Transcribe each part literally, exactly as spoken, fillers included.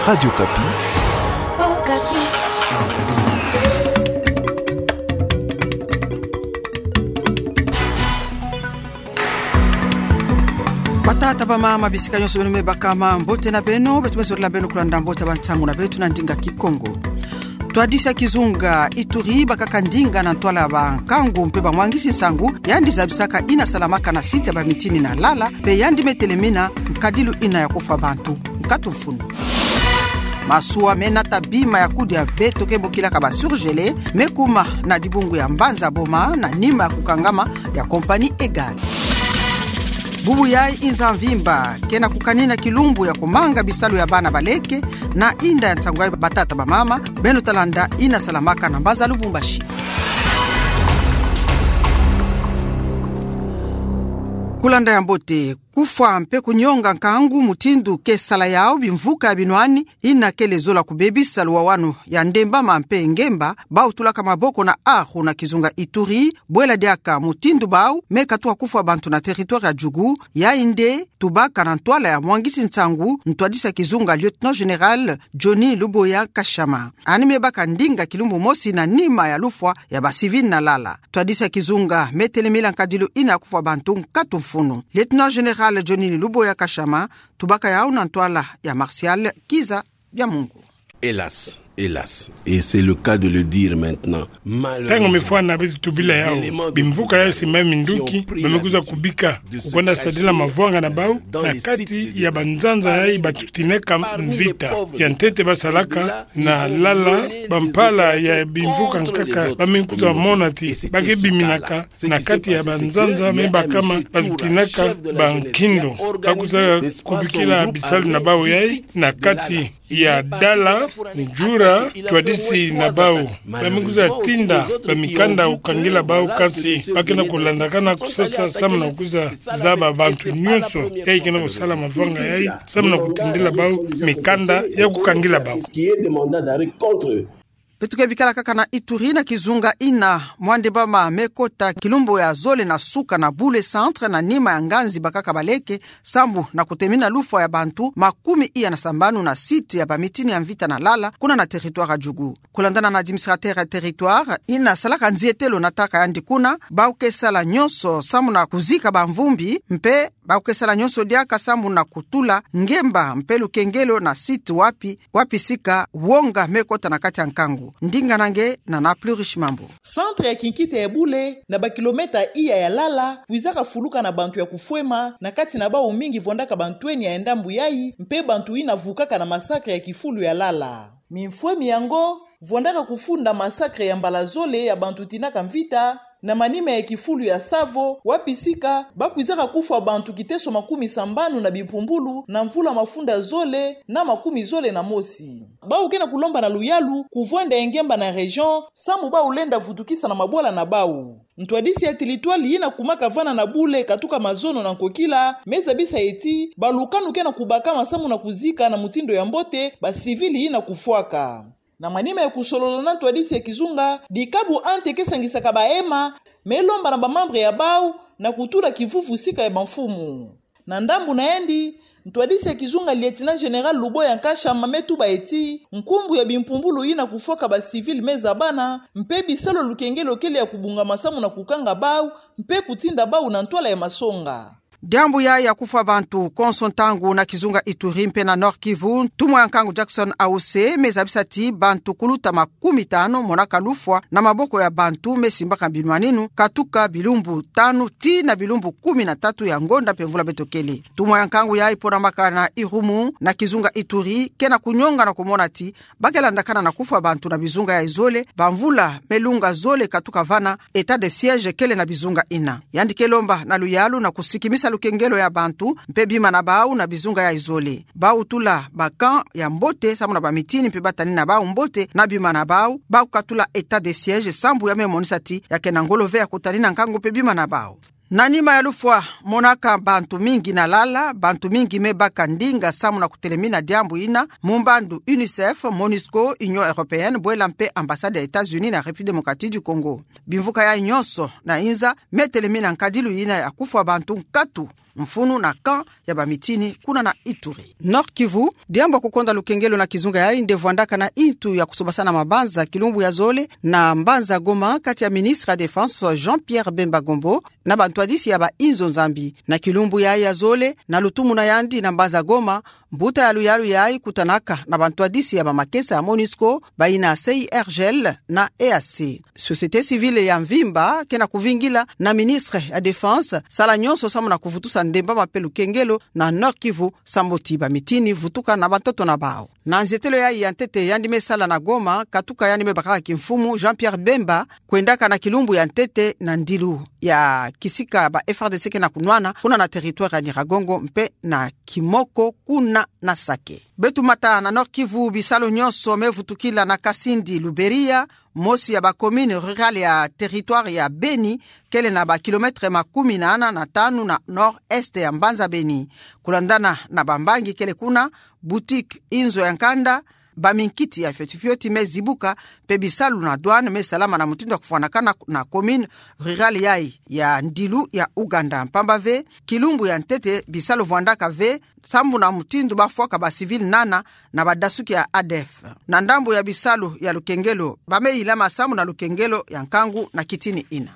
Radio Okapi. Batata, bamama, bisika nyonso beno me bakama, mbote na beno. Beto me zolila beno kulanda mbote ya bansangu na beto na ndinga Kikongo. Ntwadisi ya kizunga Ituri bakaka ndinga na ntwala ya bankangu mpe bamwangisi nsangu, yandi zabisaka ina salamaka na site ya bamitini na Lala, mpe yandi me telemina nkadilu ina ya kufwa bantu nkatu mfunu. Masuwa me nata bima ya kudia beto ke bokilaka ba surgelé me kuma na dibungu ya mbanza Boma na nima ya kukangama ya compagnie Egal. Bubu yayi inza mvimba ke na kukanina kilumbu ya kumanga bisalu ya bana baleke na inda ya nsangu yayi, batata, bamama, beno ta landa ina salamaka na mbanza Lubumbashi. Kulanda ya mbote. Kufwa mpe kunyonga nkangu mutindu ke sala yawu bimvuka ya binwani, ina kele zola kubebisa luwawanu ya Ndembama mpe Ngemba, bawu tulaka maboko na Aho na kizunga Ituri, bwela diaka mutindu bawu me katuka kufwa bantu na territoire ya Djugu, yayi nde tubaka na ntwala ya mwangisi nsangu ntwadisi ya kizunga lieutenant général Johnny Luboya Kashama. Ani me baka ndinga kilumbu mosi na nima ya lufwa ya ba civil na Lala. Ntwadisi ya kizunga me telemila nkadilu ina ya kufwa bantu nkatu mfunu. Lieutenant général Johnny Luboya Kashama, tubaka yawu na ntwala ya Martial Kiza Byamungu. Hélas, hélas, et c'est le cas de le dire maintenant, ntangu mifwana beto tubila yawu, bimvuka yayi si me minduki, ba me kwiza kubika kukwenda sadila mavwanga na bawu na kati ya banzanza yayi batutinaka mvita. Ya ntete basalaka na Lala, bampala ya bimvuka nkaka ba me kwiza mona ti ba ke biminaka na kati ya banzanza me bakama batutinaka bankindo. Ba kwiza kubikila bisalu na bawu yayi na kati ya Dala, Ndjura, ntwadisi na bawu. Ba me kwiza tinda bamikanda ya kukangila bawu, kansi ba ke na kulandakana kusasa samu na kwiza zaba bantu nyonso yayi ke na kusala mavwanga yayi samu na kutindila bawu mikanda ya kukangila bawu. Beto ke bikala kaka na Ituri na kizunga ina, mwa Ndembama me kota kilumbu ya zole na suka na Bule centre na nima ya nganzi bakaka baleke, sambu na kutelemina lufwa ya bantu makumi iya na sambanu na site ya bamitini ya mvita na Lala, kuna na territoire ya Djugu. Kulandana na administrateur ya territoire ina salaka nzietelo na ntaka yandi kuna, bawu ke sala nyonso samu na kuzika bamvumbi, mpe bawu ke sala nyonso diaka samu na kutula Ngemba mpe lukengelo na site wapi, wapi sika wonga me kota na kati ya nkangu. Ndinga na nge na Nana Plurish Mambu. Centre ya kinkita ya Bule, na bakilomètre iya ya Lala, kwizaka fuluka na bantu ya kufwema, na kati na bawu mingi vwandaka bantwenia ya ndambu yayi, mpe bantu ina vukaka na massacre ya kifulu ya Lala. Mimfwemi yango vwandaka kufunda massacre ya mbala zole ya bantu tinaka mvita, na manima ya kifulu ya Savo, wapi sika ba kwizaka kufwa bantu kiteso makumi sambanu na bimpumbulu na mvula mafunda zole na makumi zole na mosi. Bawu ke na kulomba na luyalu kuvwanda ya ngemba na région, samu bawu lenda vutukisa na mabwala na bawu. Ntwadisi ya territoire ina kumaka vana na Bule katuka mazono na nkokila, me zabisa ti balukanu ke na kubakama samu na kuzika na mutindu ya mbote ba civil ina kufwaka. Na manima ya kusolola na ntwadisi ya kizunga, dikabu ante ke sangisaka bahema, me lomba na ba membre ya bawu na kutula kivuvu sika ya bamfumu. Na ndambu na yandi, ntwadisi ya kizunga lieutenant général Luboya Nkashama me tuba ti nkumbu ya bimpumbulu ina kufwaka ba civil me zabana, mpe bisalu ya lukengelo kele ya kubungama samu na kukanga bawu, mpe kutinda bawu na ntwala ya masonga. Diambu yayi ya kufwa bantu konso ntangu na kizunga Ituri mpe na Nord-Kivu, ntumwa ya nkangu Jackson Aussé me zabisa ti bantu kuluta makumi tanu monaka lufwa na maboko ya bantu me simbaka binwaninu, katuka bilumbu tanu tii na bilumbu kumi na tatu ya ngonda mpe mvula beto kele. Ntumwa ya nkangu yayi ponamaka na Irumu na kizunga Ituri ke na kunyonga na kumona ti ba ke landakana na kufwa bantu na bizunga yayi zole, bamvula me lunga zole katuka vana, état de siège kele na bizunga ina. Yandi ke lomba na luyalu na kusikimisa lukengelo ya bantu mpe bima na bawu na bizunga yayi zole. Bawu tula ba camp ya mbote samu na bamitini mpe ba tanina bawu mbote na bima na bawu, bawu katula état de siège sambu ya me monisa ti ya ke na ngolo ve ya kutanina nkangu mpe bima na bawu. Na nima ya lufwa monaka bantu mingi na lala, bantu mingi me baka ndinga samu na kutelemina diambu ina, mu mbandu UNICEF, MONUSCO, Union Européenne, bwela mpe ambassade ya États-Unis na République démocratique du Congo. Bimvuka yayi nyonso na inza me telemina nkadilu ina ya kufwa bantu nkatu mfunu na camp ya bamitini kuna na Ituri. Nord-Kivu, diambu ya kukonda lukengelo na kizunga yayi nde vwandaka na intu ya kusobasana mabanza kilumbu ya zole na mbanza Goma kati ya ministre ya Défense Jean-Pierre Bemba Gombo na bantwadisi ya bainzo Nzambi. Na kilumbu yayi ya zole, na lutumu na yandi na mbanza Goma, mbuta ya luyalu yayi kutanaka na bantwadisi ya bamakesa ya MONUSCO, bayina C I R G L na E A C. Société civile ya mvimba ke na kuvingila na ministre ya Défense sala nyonso samu na kuvutusa ndembama mpe lukengelo na Nord-Kivu, sambu ti bamitini vutuka na bantoto na bawu. Na nzietelo yayi ya ntete yandi me sala na Goma, katuka yandi me bakaka kimfumu Jean-Pierre Bemba kwendaka na kilumbu ya ntete na ndilu ya kisika ba F A R D C ke na kunwana kuna na territoire ya Nyiragongo mpe na Kimoko kuna na Sake. Beto mata na Nord-Kivu, bisalu nyonso me vutukila na Kasindi Luberia, mosi ya ba commune rurale ya territoire ya Beni, kele na ba kilomètre makumi nana na tanu na nord-est ya mbanza Beni. Kulandana na bambangi kele kuna, boutique, inzo ya nkanda, baminkiti ya fioti fioti me zibuka, mpe bisalu na douane me salama na mutindu ya kufwanakana na commune rurale yayi ya ndilu ya Ouganda. Mpamba ve, kilumbu ya ntete bisalu vwandaka ve, sambu na mutindu bafwaka ba civil nana na badasuki ya A D F. Na ndambu ya bisalu ya lukengelo, ba me yilama sambu na lukengelo ya nkangu na kitini ina.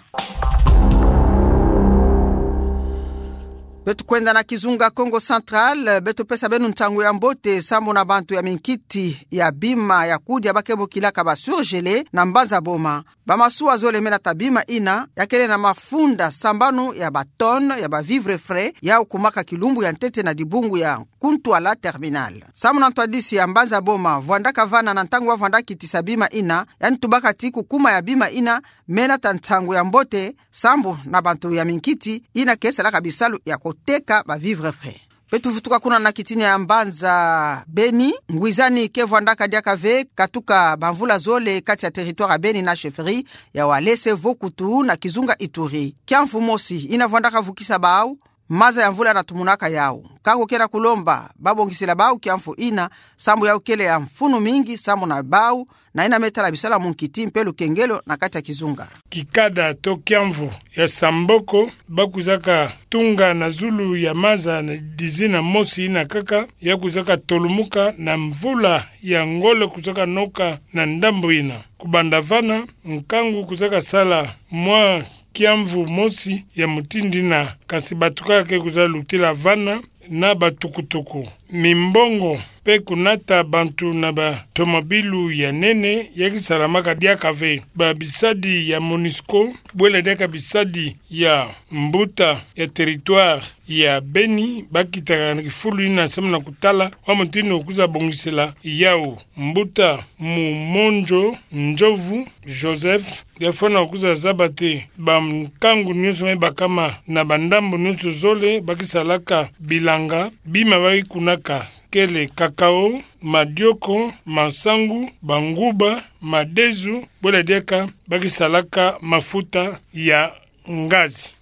Beto kwenda na kizunga Kongo Central, beto pesa beno ntangu ya mbote sambu na bantu ya minkiti ya bima ya kudia ba ke bokilaka ba surgelés na mbanza Boma. Bamasuwa zole me nata bima ina, ya kele na mafunda sambanu ya ba tonnes ya ba vivres frais, yau kumaka kilumbu ya ntete na dibungu ya kuntwala terminal. Sambu na ntwadisi ya mbanza Boma, vwandaka vana na ntangu ba vwanda kitisa bima ina, yandi tubaka ti kukuma ya bima ina me nata ntangu ya mbote, sambu na bantu ya minkiti ina ke salaka bisalu ya kuteka ba vivres frais. Beto vutuka kuna na kitini ya mbanza Beni, ngwizani ke vwandaka diaka ve, katuka bamvula zole kati ya territoire ya Beni na chefferie ya Walese Vokutu na kizunga Ituri. Kiamvu mosi ina vwandaka vukisa bau, maza ya mvula na tumunaka yau. Nkangu ke na kulomba ba bongisila bau kiamvu ina, sambu yau kele ya mfunu mingi sambu na bau, na ina me tala bisalu ya munkiti mpe lukengelo na kati ya kizunga. Kikada to kiamvu ya samboko ba kwizaka tunga na zulu ya maza na dizina mosi ina kaka, ya kwizaka tolumuka na mvula ya ngolo kwizaka noka na ndambu ina. Kubanda vana, nkangu kwizaka sala mwa kiamvu mosi ya mutindu ina, kansi bato kaka ke kwiza lutila vana na batukutuku. Mimbongo mpe kunata bantu na batomobilu ya nene ya ke salamaka diaka ve. Babisadi ya MONUSCO, bwela diaka bisadi ya mbuta ya territoire ya Beni, ba kitaka na kifulu ina samu na kutala wa mutindu kwiza bongisila yau. Mbuta Mumonjo Njovu Joseph, ya fwana kwiza zaba te bankangu nyonso me bakama na bandambu nyonso zole ba ke salaka bilanga, bima ba ke kunaka kele cacao, madioko, masangu, banguba, madezu, bwela diaka ba ke salaka mafuta ya ngazi.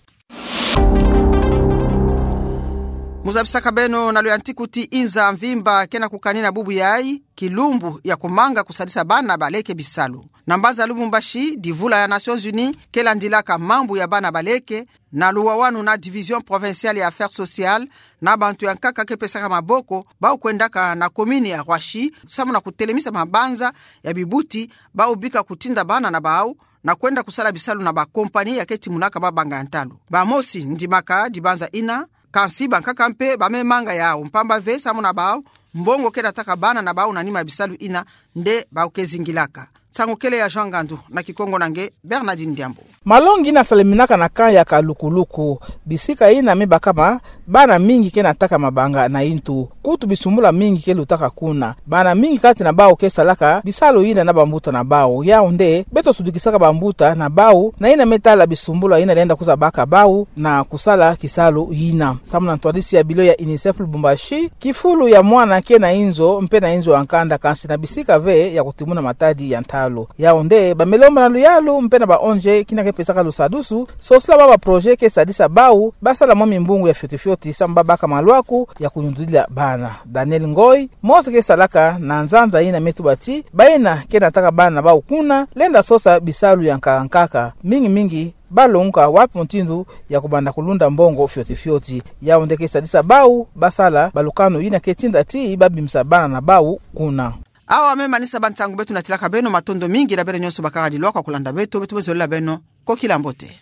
Mu zabisaka beno na luyantiku ti inza mvimba ke na kukanina bubu yayi, kilumbu ya kumanga kusalisa bana baleke bisalu. Na mbanza Lubumbashi, divula ya Nations Unies ke landilaka mambu ya bana baleke, na luwawanu na Division Provinciale ya Affaires Sociales, na bantu ya nkaka ke pesaka maboko, bau kwendaka na commune ya Roissy, samu na kutelemisa mabanza ya bibuti, bau bika kutinda bana na bau, na kwenda kusala bisalu na ba compagnie ya ke timunaka mabanga ya ntalu. Bamosi ndimaka dibanza ina, kansi bankaka mpe ba me manga yau, mpamba ve samu na bau, mbongo ke nataka bana na bau na nima ya bisalu ina, nde bau ke zingilaka. Nsangu kele ya Jean Ngandu, na Kikongo na nge Bernardine Diambu. Malongi ina saleminaka na camp ya Kalukuluku, bisika ina me bakama bana mingi ke nataka mabanga na intu. Kutu bisumbula mingi ke lutaka kuna. Bana mingi kati na bau ke salaka bisalu ina na bambuta na bau. Yau nde beto sudikisaka bambuta na bau na ina me tala bisumbula ina lenda kwiza baka bau na kusala kisalu ina. Samu na ntwadisi ya bilo ya UNICEF Lubumbashi, kifulu ya mwana ke na inzo, mpe na inzo ya nkanda, kansi na bisika ve ya kutimuna matadi ya ntalu. luyalu. Yau nde bamele ombana luyalu mpe na ba-O N G kina ke pesaka lusadusu, sosola bau ba-projet ke sadisa bau basala mwa mimbungu ya fioti fioti samu babaka maluaku ya kuyundulila bana. Daniel Ngoy, mosi ke salaka na nzanza ina me tuba ti baina ke nataka bana bau kuna, lenda sosa bisalu ya nkaka nkaka, mingi mingi balongoka wapi mutindu ya kubanda kulunda mbongo fioti fioti. Yau nde ke sadisa bau basala balukanu ina ke tinda ti babimisa bana na bau kuna. Awa me manisa bansangu beto natilaka beno, matondo mingi na beno nyonso bakaka dilwa kwa kulanda beto, beto me zolela beno kokila mbote.